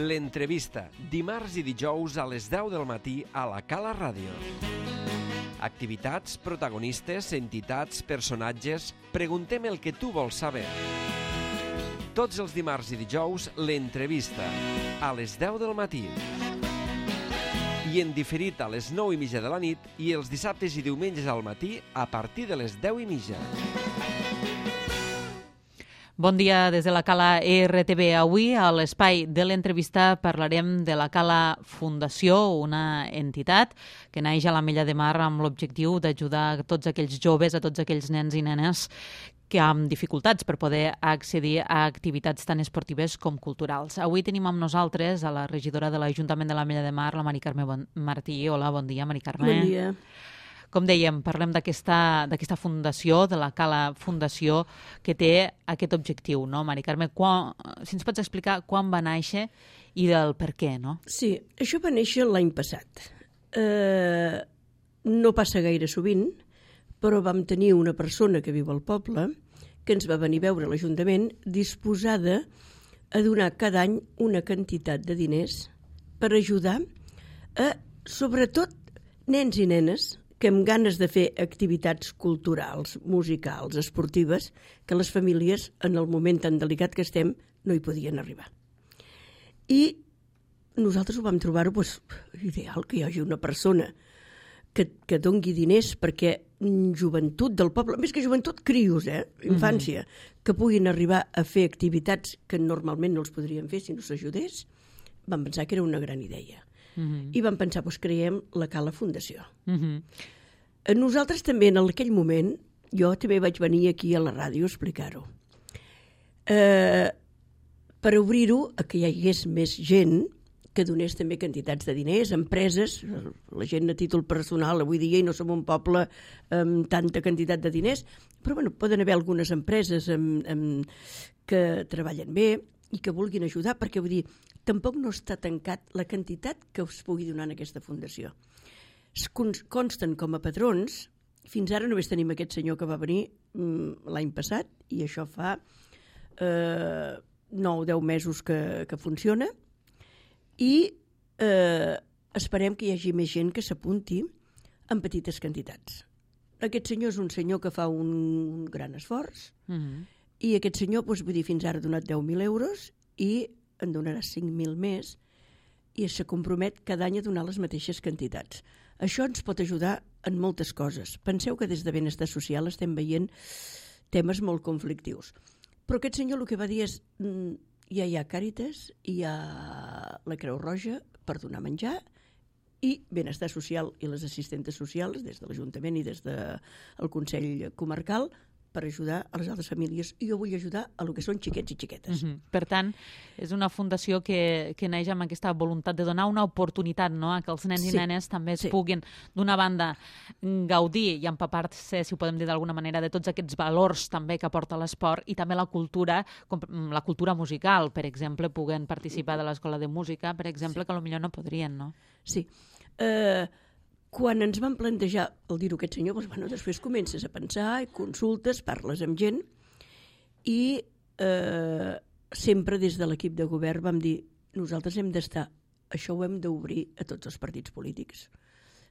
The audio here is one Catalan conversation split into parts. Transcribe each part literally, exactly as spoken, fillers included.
L'entrevista, dimarts i dijous a les deu del matí a la Cala Ràdio. Activitats, protagonistes, entitats, personatges... Preguntem el que tu vols saber. Tots els dimarts i dijous, l'entrevista, a les deu del matí. I en diferit a les nou i mitja de la nit i els dissabtes i diumenges al matí a partir de les deu i mitja. Bon dia des de la Cala R T V. Avui, a l'espai de l'entrevista, parlarem de la Cala Fundació, una entitat que naix a l'Ametlla de Mar amb l'objectiu d'ajudar a tots aquells joves, a tots aquells nens i nenes que amb dificultats per poder accedir a activitats tan esportives com culturals. Avui tenim amb nosaltres a la regidora de l'Ajuntament de l'Ametlla de Mar, la Mari Carme Martí. Hola, bon dia, Mari Carme. Bon dia. Com dèiem, parlem d'aquesta d'aquesta fundació, de la Cala Fundació, que té aquest objectiu, no, Mari Carme? Quan, si ens pots explicar quan va néixer i del per què, no? Sí, això va néixer l'any passat. Eh, no passa gaire sovint, però vam tenir una persona que viu al poble que ens va venir a veure a l'Ajuntament disposada a donar cada any una quantitat de diners per ajudar a, sobretot, nens i nenes que amb ganes de fer activitats culturals, musicals, esportives, que les famílies, en el moment tan delicat que estem, no hi podien arribar. I nosaltres ho vam trobar pues, ideal que hi hagi una persona que, que dongui diners perquè joventut del poble, més que joventut, crios, eh? infància, mm-hmm. que puguin arribar a fer activitats que normalment no els podrien fer si no s'ajudés, vam pensar que era una gran idea. Uh-huh. I vam pensar, doncs creiem la Cala Fundació. Uh-huh. Nosaltres també en aquell moment, jo també vaig venir aquí a la ràdio a explicar-ho. Eh, per obrir-ho, a que hi hagués més gent que donés també quantitats de diners, empreses, la gent a títol personal avui dia i no som un poble amb tanta quantitat de diners, però bueno, poden haver algunes empreses amb, amb, que treballen bé i que vulguin ajudar, perquè vull dir, tampoc no està tancat la quantitat que us pugui donar en aquesta fundació. Es consten com a patrons, fins ara només tenim aquest senyor que va venir l'any passat, i això fa eh, nou o deu mesos que, que funciona, i eh, esperem que hi hagi més gent que s'apunti en petites quantitats. Aquest senyor és un senyor que fa un gran esforç, mm-hmm. i aquest senyor, doncs, vull dir, fins ara ha donat deu mil euros i en donarà cinc mil més i se compromet cada any a donar les mateixes quantitats. Això ens pot ajudar en moltes coses. Penseu que des de benestar social estem veient temes molt conflictius. Però aquest senyor el que va dir és ja hi ha Càritas, hi ha la Creu Roja per donar menjar i benestar social i les assistentes socials des de l'Ajuntament i des del Consell Comarcal per ajudar a les altres famílies. I jo vull ajudar a lo que són xiquets i xiquetes. Uh-huh. Per tant, és una fundació que, que neix amb aquesta voluntat de donar una oportunitat, no?, a que els nens sí. i nenes també es sí. puguin, d'una banda, gaudir i empapar-se, si ho podem dir d'alguna manera, de tots aquests valors també que aporta l'esport i també la cultura, com la cultura musical, per exemple, puguen participar de l'escola de música, per exemple, sí. que potser no podrien, no? Sí. Eh... Uh... Quan ens van plantejar el dir-ho aquest senyor, doncs, bueno, després comences a pensar, consultes, parles amb gent i eh, sempre des de l'equip de govern vam dir nosaltres hem d'estar, això ho hem d'obrir a tots els partits polítics.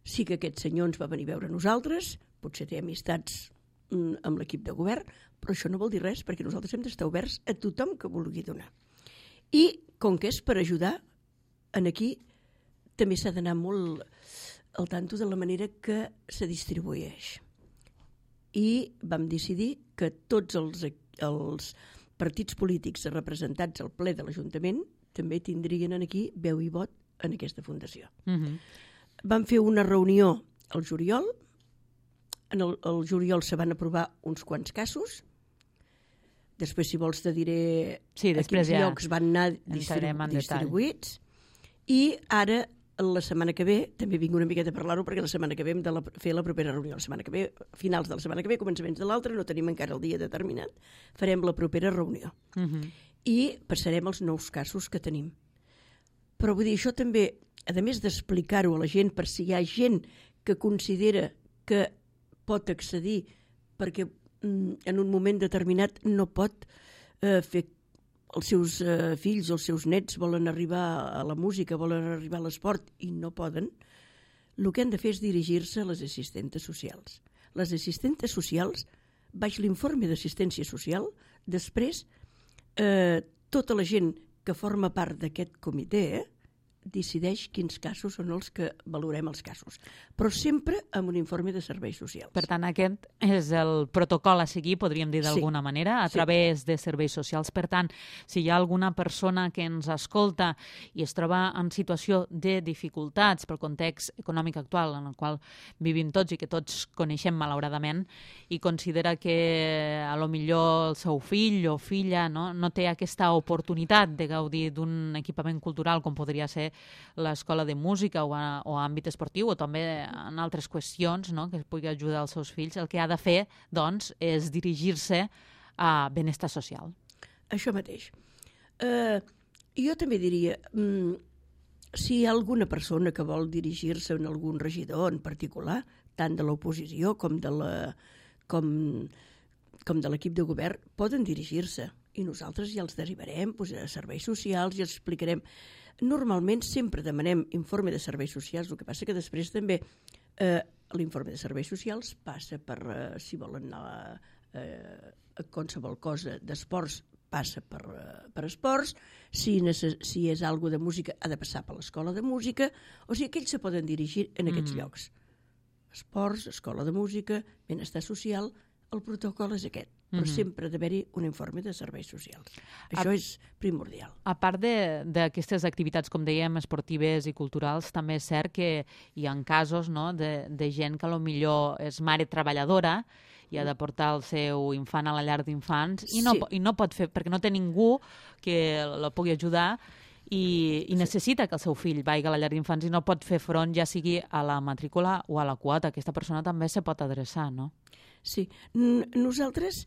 Sí que aquest senyor ens va venir a veure a nosaltres, potser té amistats mm, amb l'equip de govern, però això no vol dir res perquè nosaltres hem d'estar oberts a tothom que vulgui donar. I com que és per ajudar, en aquí també s'ha d'anar molt al tanto de la manera que se distribueix. I vam decidir que tots els, els partits polítics representats al ple de l'Ajuntament també tindrien aquí veu i vot en aquesta fundació. Uh-huh. Vam fer una reunió al juliol. En el, el juliol se van aprovar uns quants casos. Després, si vols, te diré sí, a quins ja llocs van anar distribu- distribuïts. I ara la setmana que ve, també vinc una miqueta a parlar-ho perquè la setmana que ve hem de la, fer la propera reunió. La setmana que ve, finals de la setmana que ve, començaments de l'altra, no tenim encara el dia determinat, farem la propera reunió. Uh-huh. I passarem els nous casos que tenim. Però vull dir, això també, a més d'explicar-ho a la gent, per si hi ha gent que considera que pot accedir perquè mm, en un moment determinat no pot eh, fer els seus eh, fills o els seus nets volen arribar a la música, volen arribar a l'esport i no poden, el que han de fer és dirigir-se a les assistentes socials. Les assistentes socials, baix l'informe d'assistència social, després eh, tota la gent que forma part d'aquest comitè eh, decideix quins casos són els que valorem els casos, però sempre amb un informe de serveis socials. Per tant, aquest és el protocol a seguir, podríem dir d'alguna sí. manera, a sí. través de serveis socials. Per tant, si hi ha alguna persona que ens escolta i es troba en situació de dificultats pel context econòmic actual en el qual vivim tots i que tots coneixem malauradament, i considera que a lo millor el seu fill o filla no, no té aquesta oportunitat de gaudir d'un equipament cultural com podria ser l'escola de música o a, o a àmbit esportiu o també en altres qüestions no, que es pugui ajudar als seus fills, el que ha de fer doncs, és dirigir-se a benestar social. Això mateix. Uh, jo també diria, um, si hi ha alguna persona que vol dirigir-se a algun regidor en particular, tant de l'oposició com de la, com, com de l'equip de govern, poden dirigir-se i nosaltres ja els derivarem doncs, a serveis socials i els explicarem. Normalment sempre demanem informe de serveis socials, el que passa que després també eh, l'informe de serveis socials passa per, eh, si volen anar eh, a qualsevol cosa d'esports, passa per, eh, per esports, si, necess- si és algo de música ha de passar per l'escola de música, o sigui que ells se poden dirigir en aquests mm. llocs. Esports, escola de música, benestar social, el protocol és aquest, però mm-hmm. sempre ha d'haver-hi un informe de serveis socials. Això a, és primordial. A part d'aquestes activitats, com dèiem, esportives i culturals, també és cert que hi ha casos no, de, de gent que potser és mare treballadora i ha de portar el seu infant a la llar d'infants i, no, sí. i no pot fer, perquè no té ningú que la pugui ajudar i, i necessita que el seu fill vagi a la llar d'infants i no pot fer front ja sigui a la matrícula o a la quota. Aquesta persona també se pot adreçar, no? Sí. Nosaltres,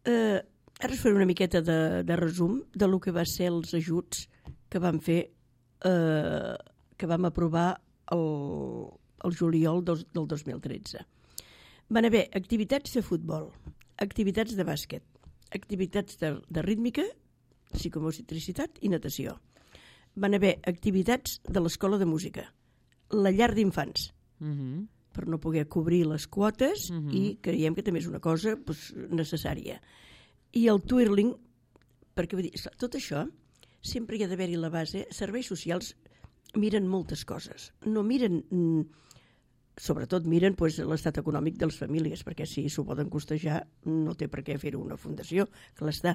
eh, ara us faré una miqueta de, de resum de lo que va ser els ajuts que vam fer, eh, que vam aprovar el, el juliol del, del dos mil tretze. Van haver activitats de futbol, activitats de bàsquet, activitats de, de rítmica, psicomotricitat i natació. Van haver activitats de l'escola de música, la llar d'infants, mm-hmm. per no poder cobrir les quotes uh-huh. i creiem que també és una cosa doncs, necessària. I el twirling, perquè vull dir, tot això sempre hi ha d'haver-hi la base. Serveis socials miren moltes coses. No miren, sobretot miren doncs, l'estat econòmic de les famílies, perquè si s'ho poden costejar no té per què fer-ho una fundació, que l'està.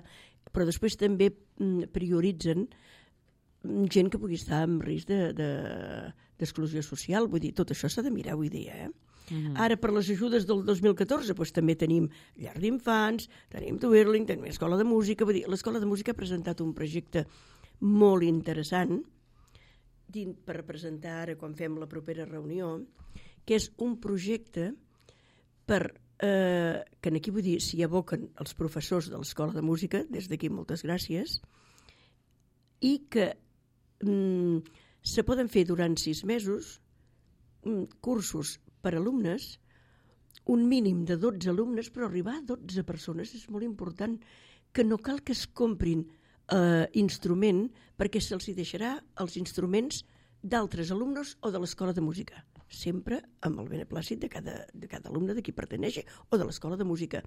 Però després també prioritzen gent que pugui estar en risc de, de, d'exclusió social. Vull dir, tot això s'ha de mirar avui dia. Eh? Mm-hmm. Ara, per les ajudes del dos mil catorze, doncs, també tenim llar d'infants, tenim twirling, tenim escola de música. Vull dir, l'escola de música ha presentat un projecte molt interessant per presentar ara quan fem la propera reunió, que és un projecte per, eh, que aquí vull dir, s'hi aboquen els professors de l'escola de música, des d'aquí moltes gràcies, i que se poden fer durant sis mesos cursos per alumnes, un mínim de dotze alumnes, però arribar a dotze persones és molt important, que no cal que es comprin eh, instrument perquè se'ls deixarà els instruments d'altres alumnes o de l'escola de música, sempre amb el beneplàcit de cada, de cada alumne de qui perteneix o de l'escola de música.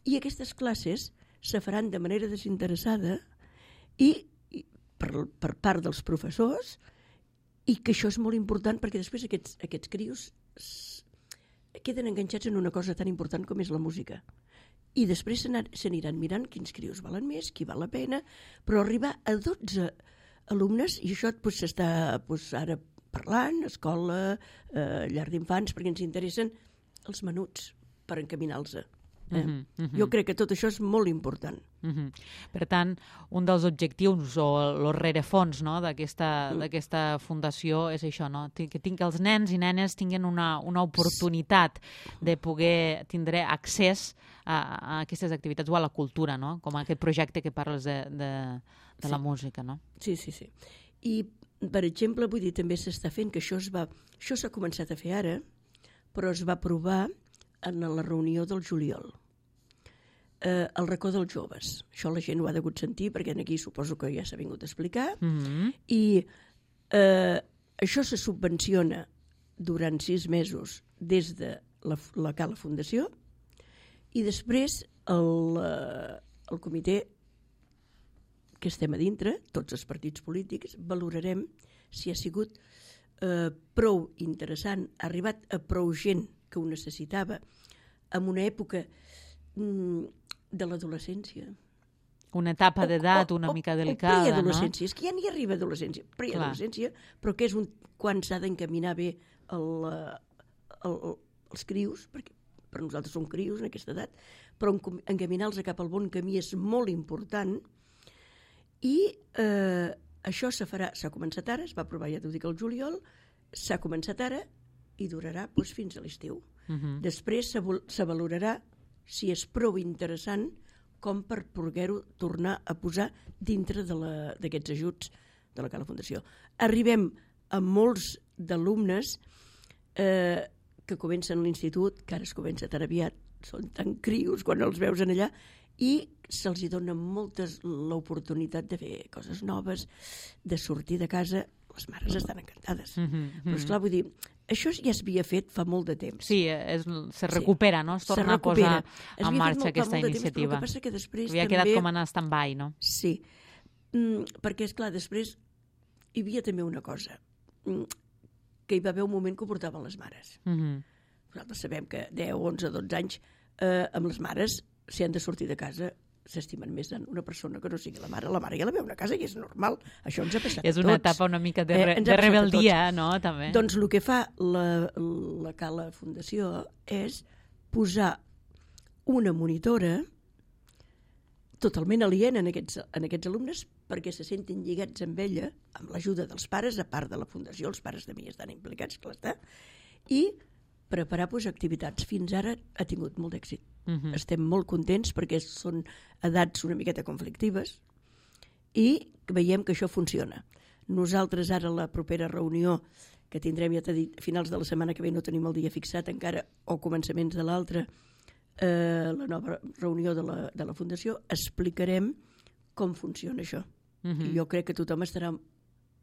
I aquestes classes se faran de manera desinteressada i Per, per part dels professors, i que això és molt important perquè després aquests, aquests crios queden enganxats en una cosa tan important com és la música. I després s'aniran mirant quins crios valen més, qui val la pena, però arribar a dotze alumnes, i això doncs, s'està doncs, ara parlant, escola, eh, llar d'infants, perquè ens interessen els menuts per encaminar-los. Eh? Uh-huh, uh-huh. Jo crec que tot això és molt important. Uh-huh. Per tant, un dels objectius o el rerefons no, d'aquesta, uh-huh. d'aquesta fundació és això, no? que, tinc, que els nens i nenes tinguin una, una oportunitat de poder tindre accés a, a aquestes activitats o a la cultura, no? Com aquest projecte que parles de, de, de sí. la música. No? Sí, sí, sí. I, per exemple, vull dir, també s'està fent que això es va, això s'ha començat a fer ara, però es va aprovar en la reunió del juliol. eh, el racó dels joves. Això la gent ho ha degut sentir, perquè aquí suposo que ja s'ha vingut a explicar. Mm-hmm. I eh, això se subvenciona durant sis mesos des de la, la Cala Fundació, i després el, eh, el comitè que estem a dintre, tots els partits polítics, valorarem si ha sigut eh, prou interessant, ha arribat a prou gent que ho necessitava en una època mm, de l'adolescència. Una etapa d'edat una o, mica o, delicada, o preadolescència, no? És que ja n'hi arriba adolescència, preadolescència, però que és un, quan s'ha d'encaminar bé el, el, els crios, perquè per nosaltres són crios en aquesta edat, però encaminar-los cap al bon camí és molt important. I eh, això se farà, s'ha començat ara, es va aprovar, ja t'ho dic, el juliol, s'ha començat ara i durarà doncs, fins a l'estiu. Uh-huh. Després se, se valorarà si és prou interessant com per poder-ho tornar a posar dintre d'aquests ajuts de la Cala Fundació. Arribem a molts d'alumnes eh, que comencen l'institut, que ara es comença tan aviat, són tan crios quan els veus en allà, i se'ls dona moltes l'oportunitat de fer coses noves, de sortir de casa. Les mares estan encantades. Mm-hmm. Però esclar, vull dir, això ja s'havia fet fa molt de temps. Sí, és, se recupera, sí. No? Es torna a posar en marxa molt, aquesta iniciativa. Temps, que passa que havia també... quedat com en stand-by, no? Sí, mm, perquè, esclar, després hi havia també una cosa, mm, que hi va haver un moment que ho portaven les mares. Mm-hmm. Nosaltres sabem que deu, onze, dotze anys, eh, amb les mares, si han de sortir de casa, s'estimen més en una persona que no sigui la mare. La mare ja la veu a casa i és normal. Això ens ha passat a tots. És una etapa una mica de, re, eh, de rebeldia, no? També. Doncs el que fa la, la Cala Fundació és posar una monitora totalment aliena en aquests, en aquests alumnes perquè se sentin lligats amb ella, amb l'ajuda dels pares, a part de la Fundació, els pares també hi estan implicats, clar està, i preparar pues, activitats. Fins ara ha tingut molt d'èxit. Uh-huh. Estem molt contents perquè són edats una miqueta conflictives i veiem que això funciona. Nosaltres ara la propera reunió que tindrem, ja t'he dit, a finals de la setmana que ve, no tenim el dia fixat encara, o començaments de l'altra, eh, la nova reunió de la, de la Fundació, explicarem com funciona això. Uh-huh. I jo crec que tothom estarà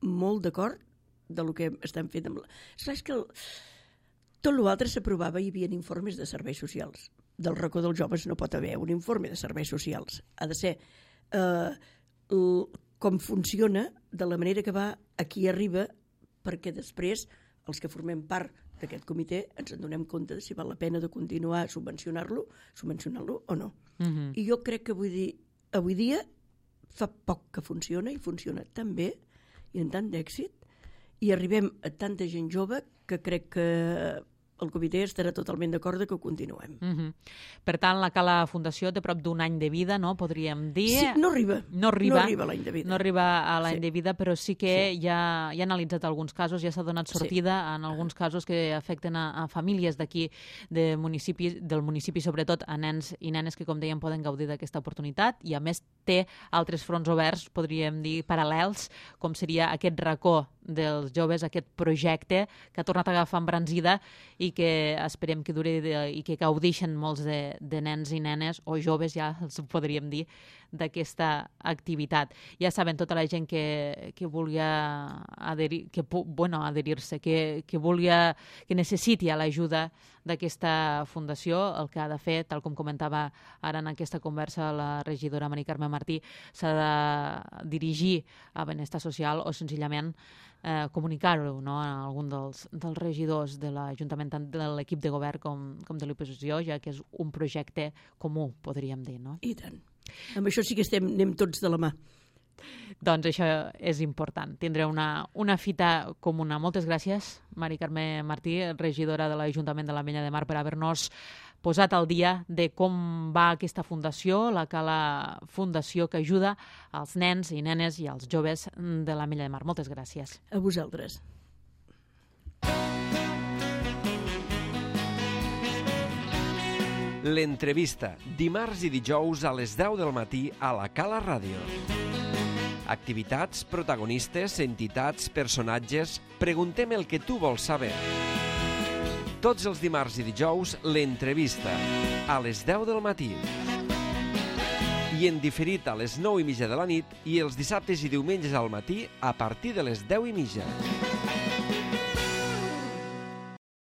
molt d'acord de lo que estem fent. Amb la... És que el... tot l'altre s'aprovava, hi havia informes de serveis socials. Del racó dels joves no pot haver un informe de serveis socials. Ha de ser eh, l, com funciona, de la manera que va, a qui arriba, perquè després els que formem part d'aquest comitè ens en donem compte de si val la pena de continuar a subvencionar-lo, subvencionar-lo o no. Uh-huh. I jo crec que vull dir, avui dia fa poc que funciona i funciona tan bé i amb tant d'èxit i arribem a tanta gent jove que crec que el comitè estarà totalment d'acord que ho continuem. Uh-huh. Per tant, la Cala Fundació té prop d'un any de vida, no? Podríem dir. Sí, no arriba. No arriba, no arriba a l'any de vida. No arriba a l'any sí. de vida, però sí que sí. Ja, ja ha analitzat alguns casos, ja s'ha donat sortida sí. en alguns casos que afecten a, a famílies d'aquí, de municipi, del municipi, sobretot a nens i nenes que, com dèiem, poden gaudir d'aquesta oportunitat i, a més, té altres fronts oberts, podríem dir, paral·lels, com seria aquest racó dels joves, aquest projecte que ha tornat a agafar embranzida i que esperem que duri de, i que gaudeixen molts de, de nens i nenes, o joves ja els podríem dir, d'aquesta activitat. Ja saben, tota la gent que, que vulgui adherir, que, bueno, adherir-se, que, que vulgui, que necessiti l'ajuda d'aquesta fundació, el que ha de fer, tal com comentava ara en aquesta conversa la regidora Mari Carme Martí, s'ha de dirigir a Benestar Social o senzillament eh, comunicar-ho, no?, a algun dels, dels regidors de l'Ajuntament, tant de l'equip de govern com, com de l'oposició, ja que és un projecte comú, podríem dir, no? I tant. Amb això sí que estem, anem tots de la mà. Doncs això és important, tindré una, una fita comuna. Moltes gràcies, Mari Carme Martí, regidora de l'Ajuntament de l'Ametlla de Mar, per haver-nos posat al dia de com va aquesta fundació, la Cala Fundació, que ajuda als nens i nenes i als joves de l'Ametlla de Mar. Moltes gràcies. A vosaltres. L'entrevista, dimarts i dijous a les deu del matí a la Cala Ràdio. Activitats, protagonistes, entitats, personatges... Preguntem el que tu vols saber. Tots els dimarts i dijous, l'entrevista, a les deu del matí. i en diferit a les nou i mitja de la nit i els dissabtes i diumenges al matí a partir de les deu i mitja.